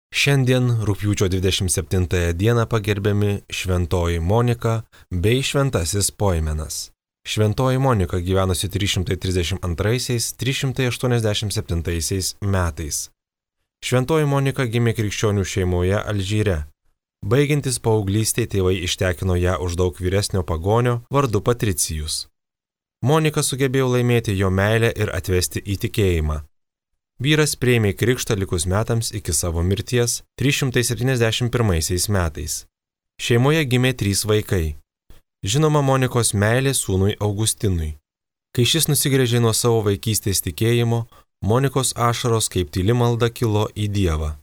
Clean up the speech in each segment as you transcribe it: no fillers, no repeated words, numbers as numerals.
Šiandien rugpjūčio 27 dieną pagerbiami Šventoji Monika bei Šventasis Poimenas. Šventoji Monika gyvenusi 332-387 metais. Šventoji Monika gimė krikščionių šeimoje Alžyre. Baigiantis paauglystėje tėvai ištekino ją už daug vyresnio pagonio vardu Patricijus. Monika sugebėjo laimėti jo meilę ir atvesti į tikėjimą. Vyras priėmė krikštą likus metams iki savo mirties 371 metais. Šeimoje gimė 3 vaikai. Žinoma Monikos meilė sūnui Augustinui. Kai šis nusigręžė nuo savo vaikystės tikėjimo, Monikos ašaros kaip tyli malda kilo į Dievą.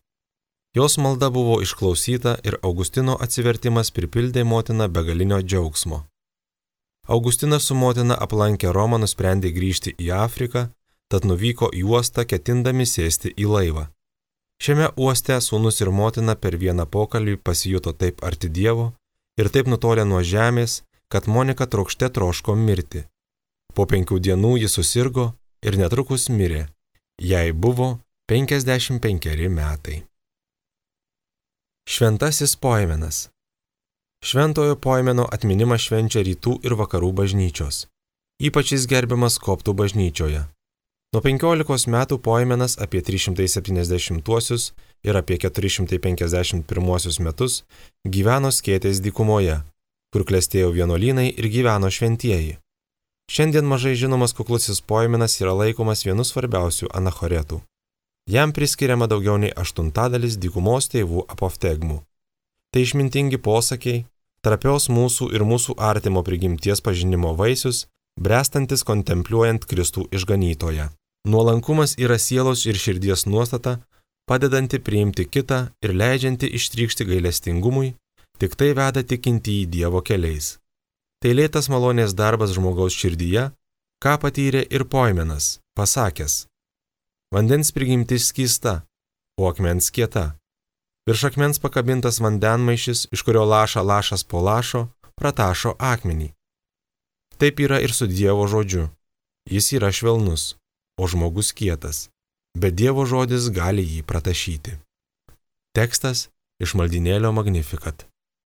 Jos malda buvo išklausyta ir Augustino atsivertimas pripildė motiną begalinio džiaugsmo. Augustinas su motina aplankę Romą nusprendė grįžti į Afriką, tad nuvyko į uostą ketindami sėsti į laivą. Šiame uoste sūnus ir motina per vieną pokalbį pasijuto taip arti Dievo ir taip nutolę nuo žemės, kad Monika trokšte troško mirti. Po 5 dienų ji susirgo ir netrukus mirė. Jai buvo 55 metai. Šventasis Poimenas. Šventojo Poimeno atminimą švenčia rytų ir vakarų bažnyčios. Ypač jis gerbiamas koptų bažnyčioje. Nuo 15 metų Poimenas apie 370 ir apie 451 metus gyveno Skėtės dykumoje, kur klestėjo vienuolynai ir gyveno šventieji. Šiandien mažai žinomas kuklusis Poimenas yra laikomas vienu svarbiausių anachoretų. Jam priskiriama daugiau nei 1/8 dykumos tėvų apoftegmų. Tai išmintingi posakiai, trapios mūsų ir mūsų artimo prigimties pažinimo vaisius, brestantis kontempliuojant Kristų išganytoją. Nuolankumas yra sielos ir širdies nuostata, padedanti priimti kitą ir leidžianti ištrykšti gailestingumui, tik tai veda tikintį į Dievo keliais. Tai lėtas malonės darbas žmogaus širdyje, ką patyrė ir Poimenas, pasakęs: vandens prigimtis skysta, o akmens kieta. Virš akmens pakabintas vandenmaišis, iš kurio laša lašas po lašo, pratašo akmenį. Taip yra ir su Dievo žodžiu. Jis yra švelnus, o žmogus kietas, bet Dievo žodis gali jį pratašyti. Tekstas iš maldynėlio Magnificat.